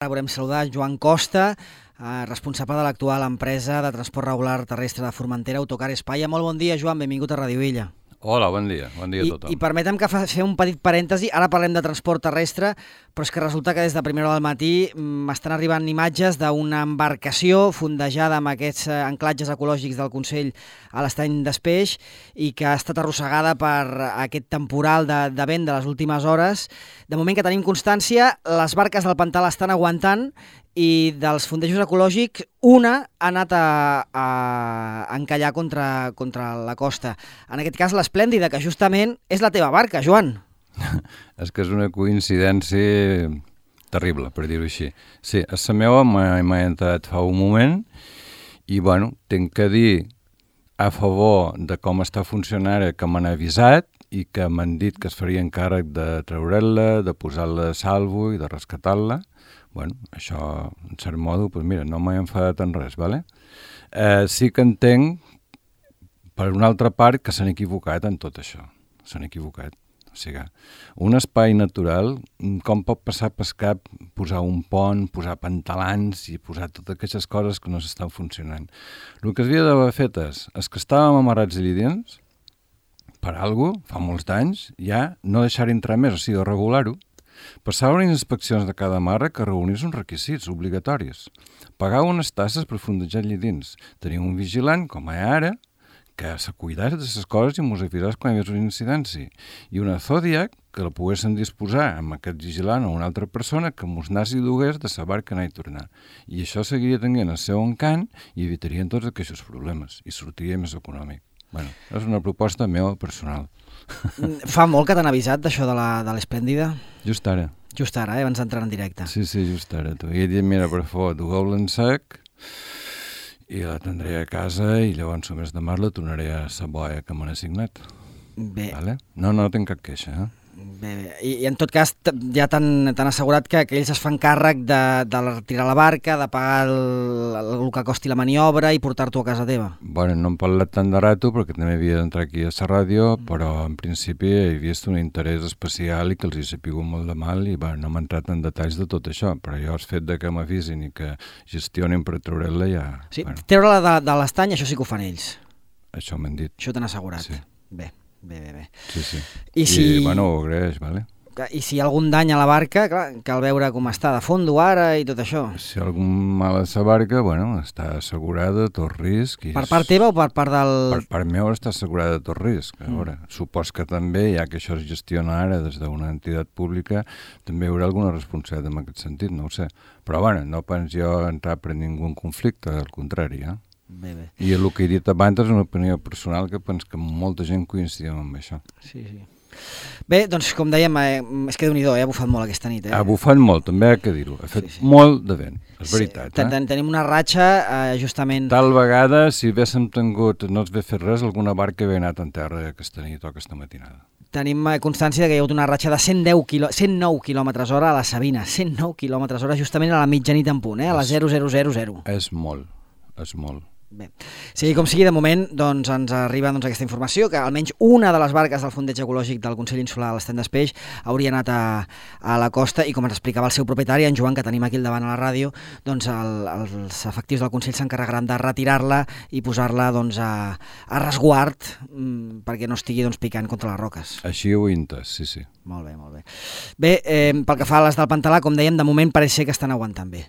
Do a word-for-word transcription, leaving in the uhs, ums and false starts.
Ara volem saludar Joan Costa, eh, responsable de l'actual empresa de transport regular terrestre de Formentera, Autocar Espaia. Molt bon dia, Joan, benvingut a Ràdio Illa. Hola, bon dia, bon dia a tothom. I, i permetem que fem un petit parèntesi, ara parlem de transport terrestre, però és que resulta que des de primera hora del matí m'estan arribant imatges d'una embarcació fondejada amb aquests anclatges ecològics del Consell a l'Estany d'Espeix i que ha estat arrossegada per aquest temporal de, de vent de les últimes hores. De moment que tenim constància, les barques del pantà l'estan aguantant i dels fondejos ecològics una ha anat a, a encallar contra, contra la costa. En aquest cas l'Esplèndida, que justament és la teva barca, Joan. És que és una coincidència terrible, per dir-ho així. Sí, a la meva m'ha entrat fa un moment i, bueno, tinc que dir a favor de com està funcionant que m'han avisat i que m'han dit que es farien càrrec de treure-la, de posar-la a salvo i de rescatar-la. Bueno, això, en cert modo, doncs mira, no m'he enfadat en res, ¿vale? Eh, sí que entenc, per una altra part, que s'han equivocat en tot això. S'han equivocat. O sigui, un espai natural, com pot passar per cap posar un pont, posar pantalans i posar totes aquestes coses que no s'estan funcionant. El que s'havia d'haver fet és, és que estàvem amarrats allà dins, per alguna cosa, fa molts d'anys, ja no deixar entrar més, o sigui, regular-ho. Passar unes inspeccions de cada marra que reunís uns requisits obligatoris. Pagar unes tasses per fondejar allà dins. Tenir un vigilant, com hi ha ara, que se cuidés de les coses i mos avisés quan hi hagués una incidència. I una Zodiac que la poguessin disposar amb aquest vigilant o una altra persona que mos anés i dugués de la barca anar i tornar. I això seguiria tenint el seu encant i evitarien tots aquests problemes i sortiria més econòmic. Bueno, és una proposta meva personal. Fa molt que t'han avisat d'això de l'Esplèndida? Just ara. Just ara, eh? Abans d'entrar en directe. Sí, sí, just ara. Tu. I he dit, mira, per favor, dugueu-la en sec i la tindré a casa i llavors, només de mar, la tornaré a la boia que m'han assignat. Bé. Vale? No, no tinc cap queixa, eh? Bé, bé. I, I en tot cas ja t'han assegurat que, que ells es fan càrrec de, de retirar la barca, de pagar el, el que costi la maniobra i portar-t'ho a casa teva. Bueno, no hem parlat tant de rato perquè també havia d'entrar aquí a la ràdio, mm. però en principi he vist un interès especial i que els hi sapigut molt de mal i bueno, no m'he entrat en detalls de tot això, però jo el fet de que m'avisin i que gestionin per treure-la ja... Sí, bueno. Treure-la de, de l'estany, això sí que ho fan ells. Això m'han dit. Això t'han assegurat. Sí. Bé. Bé, bé, bé. Sí, sí. I, si... I bueno, ho agraeix, vale? I si hi ha algun dany a la barca, clar, cal veure com està de fondo ara i tot això. Si hi ha algun mal a la barca, bueno, està assegurada, tot risc. I per part teva o per part del... Per part meva està assegurada tot risc. A veure, mm. supos que també, ja que això es gestiona ara des d'una entitat pública, també hi haurà alguna responsabilitat en aquest sentit, no ho sé. Però bueno, no pens jo entrar per ningú en conflicte, al contrari, eh? Bé, bé. I el que he dit abans és una opinió personal que penso que molta gent coincidim amb això. Sí, sí. Bé, doncs com dèiem, eh, és que Déu-n'hi-do, eh, ha bufat molt aquesta nit. Eh? Ha bufat molt, també ha que dir-ho. Ha fet sí, sí. molt de vent, és veritat. Sí, eh? Tenim una ratxa, eh, justament... Tal vegada, si haguéssim tingut, no es ve fet res, alguna barca havia anat en terra aquesta nit o aquesta matinada. Tenim constància que hi ha hagut una ratxa de cent deu quilò... cent nou quilòmetres hora a la Sabina, cent nou quilòmetres hora justament a la mitjanit en punt, eh? A la zero zero zero zero. És molt, és molt. Bé, sigui com sigui, de moment doncs, ens arriba doncs, aquesta informació que almenys una de les barques del fondeig ecològic del Consell Insular a l'Estany d'Espeix hauria anat a, a la costa i com ens explicava el seu propietari, en Joan, que tenim aquí al davant a la ràdio, doncs el, els efectius del Consell s'encarregaran de retirar-la i posar-la doncs, a, a resguard mm, perquè no estigui doncs, picant contra les roques. Així ho he entès, sí, sí. Molt bé, molt bé. Bé, eh, pel que fa a les del Pantalà, com dèiem, de moment pareix ser que estan aguantant bé.